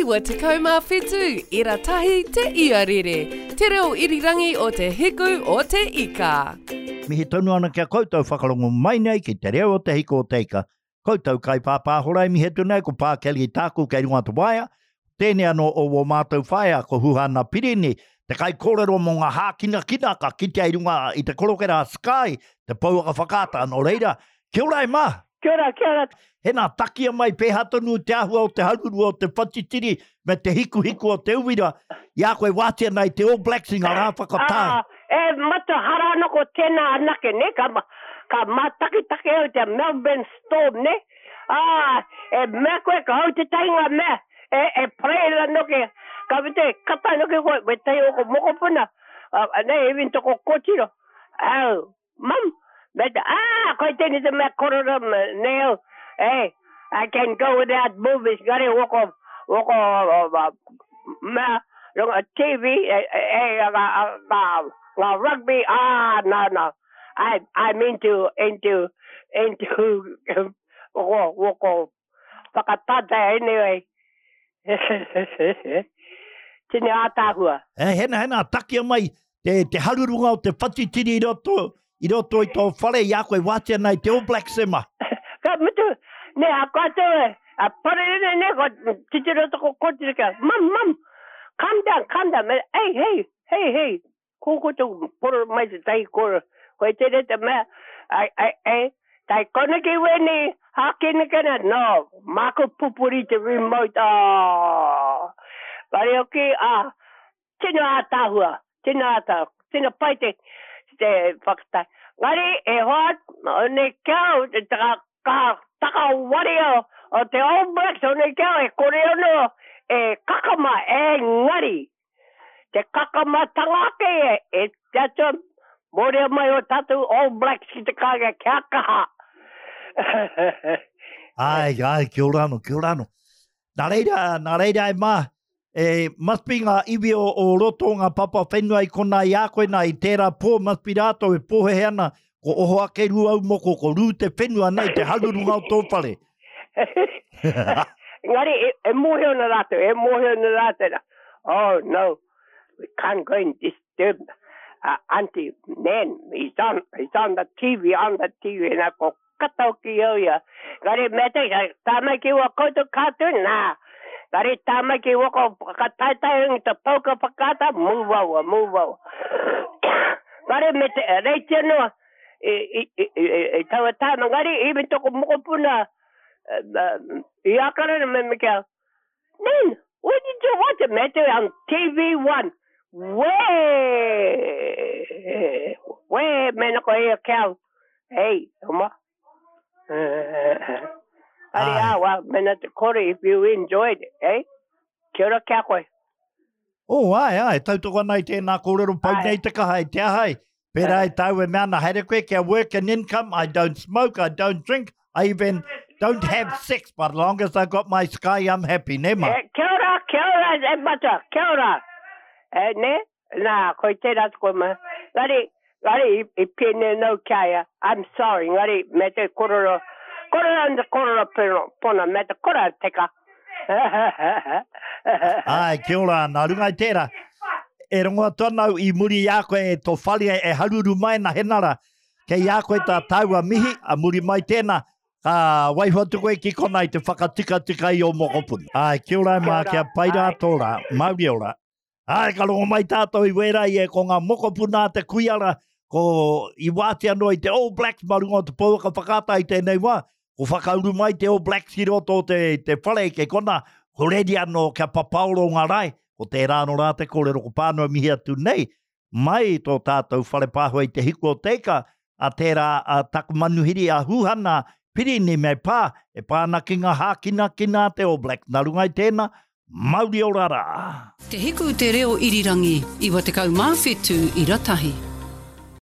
97 ira tahi te iarere, te reo irirangi o te hiku o te ika. Mihi tonu ana ki a koutou whakarongo mai nei ki te reo o te hiku o te ika. Koutou kaipāpāhora e mihi atu nei ko Pā Kelly tāku kei runga te waea. Tēnei anō o wō mātou whaea ko Huhana Pirini, te kaikōrero mō ngā hākinakina ka kitea i runga i te korokera a Sky, te pouaka whakaata. Nō reira, kia ora e mā! Kia ora, kia ora. Hena, takia mai pēhā tonu te āhua o te haruru o te whatitiri me te hikuhiku o te uira i a koe wātea ana i te All Blacks i ngā rā whakatā. Ā, e matua hara ana ko tēnā anake, nē, ka, ka mātakitaki au i te Melbourne Storm, nē. Ā, e mea koe ka hau tētahi ngā mea, e, e parade ana noke, ka mate, kata noke koe, wētahi o ko mokopuna, ā, nē, even toko kōtiro, au, Mum, me te, ah, koe tēnei te mea korora nei au, hey, I can go without movies, ngare woko, woko, mea, runga TV, e, e, e, ngā, ngā, ngā rugby, ah, no, no, I, I'm into, into, into, woko, woko, whakatātai anyway. Tini ātaahua. E, hena, hena, takia mai te, te harurunga o te whatitiri i roto, i roto i tō whare i a koe wātea nei te All Blacks e ma. Ka mutu, ne, a koutou e, a parerere ne, ko titiro toko kotiro kia, mum, mum, calm down, calm down, me, hey, hey, hey, hey, Ko koutou poro mai te tahi koro, koe tēnei te mea, ai, ai, ai, tai koneki wēnei hākinakina, no, māku pupuri te remote, oh! Whare hoki, ah, tino ātaahua, tino ātaahua, tino pai te, te whakatae. Ngari, e hoa, one kia, te taka, ka takawari o, o te All Blacks, one kia, e kore ono, e kakama, engari, Te kakamatanga ake e, e te atua, mōrea mai o tātou All Blacks ki te kāinga, kia kaha! Ai, ai, kia ora anō, kia ora anō. Nā reira, nā reira e mā, e, must be ngā iwi o, o roto o ngā papa whenua i konā i a koe nā, i tērā pō, must be rātou e pōhehe ana, ko oho ake Rūaumoko, ko rū te whenua nei, te harurunga o tō whare. Engari, e, e mōhio ana rātou, e mōhio ana rātou, na, oh no, we can't go and disturb uh, Auntie Nan, he's on, he's on the TV, on the TV, na ko kata hoki au ia. Engari, me te, tā mai ki ua koutou cartoon, nā. Engari, tā mai ki ua ko whakataetae i te pouka whakaata, move over, move over. Engari, me te, reiti anō, i, i, i, i, i taua tāma, engari, even toko mokopuna, i Akarana me me kia, Nan, where did you watch it? Me te on TV1. Wē! Wē, mēnā ko ia kia, hey, oma. Ari, ah, well, mēnā te kore, if you enjoyed it, eh? Kia ora kia koe. Oh, āe, āe, tautoko ana i tēnā kōrero pau nei te kaha i te aha ai. Pērā i tāu e mea ana, haere koe kia work and income, I don't smoke, I don't drink, I even don't have sex, but long as I got my sky, I'm happy, nē ma? Eh, kia ora, kia ora, e matua, kia ora. E, nē, nā, koe tērā te koe ma. Ngari, ngari, i, i pēnei nau ki a ia, I'm sorry, ngari, me te korero, korero and te korero pona, me te korero teka. Āe, kia ora, nā runga i tērā, e rongo atu ana au i muri i a koe e tō whare e haruru mai ana henara, kei a koe tā tāua mihi, a muri mai tēnā, ka waiho atu koe ki konā i te whakatikatika i ō mokopuna. Āe, kia ora e mā, kia pai rā tō rā, mauri ora. Āe, ka rongo mai tātou i wērā i e ko ngā mokopuna a te kuiara, ko i wātea noa i te All Blacks mā runga o te pouaka whakaata i tēnei wā, ko whakauru mai te All Blacks ki roto o te, te whare kei kona, ko reri anō kia papaoro ngā rae, ko tērā anō rā te kōrero ko Pānua mihi atu nei, mai i tō tātou whare pāhua i te hiku o te ika, a tērā a taku manuhiri a Huhana Pirini me pā, e pā ana ki ngā hākinakina a te All Blacks. Nā runga i tēnā, mauri ora rā! Te Hiku Te Reo Irirangi, 97 ira tahi.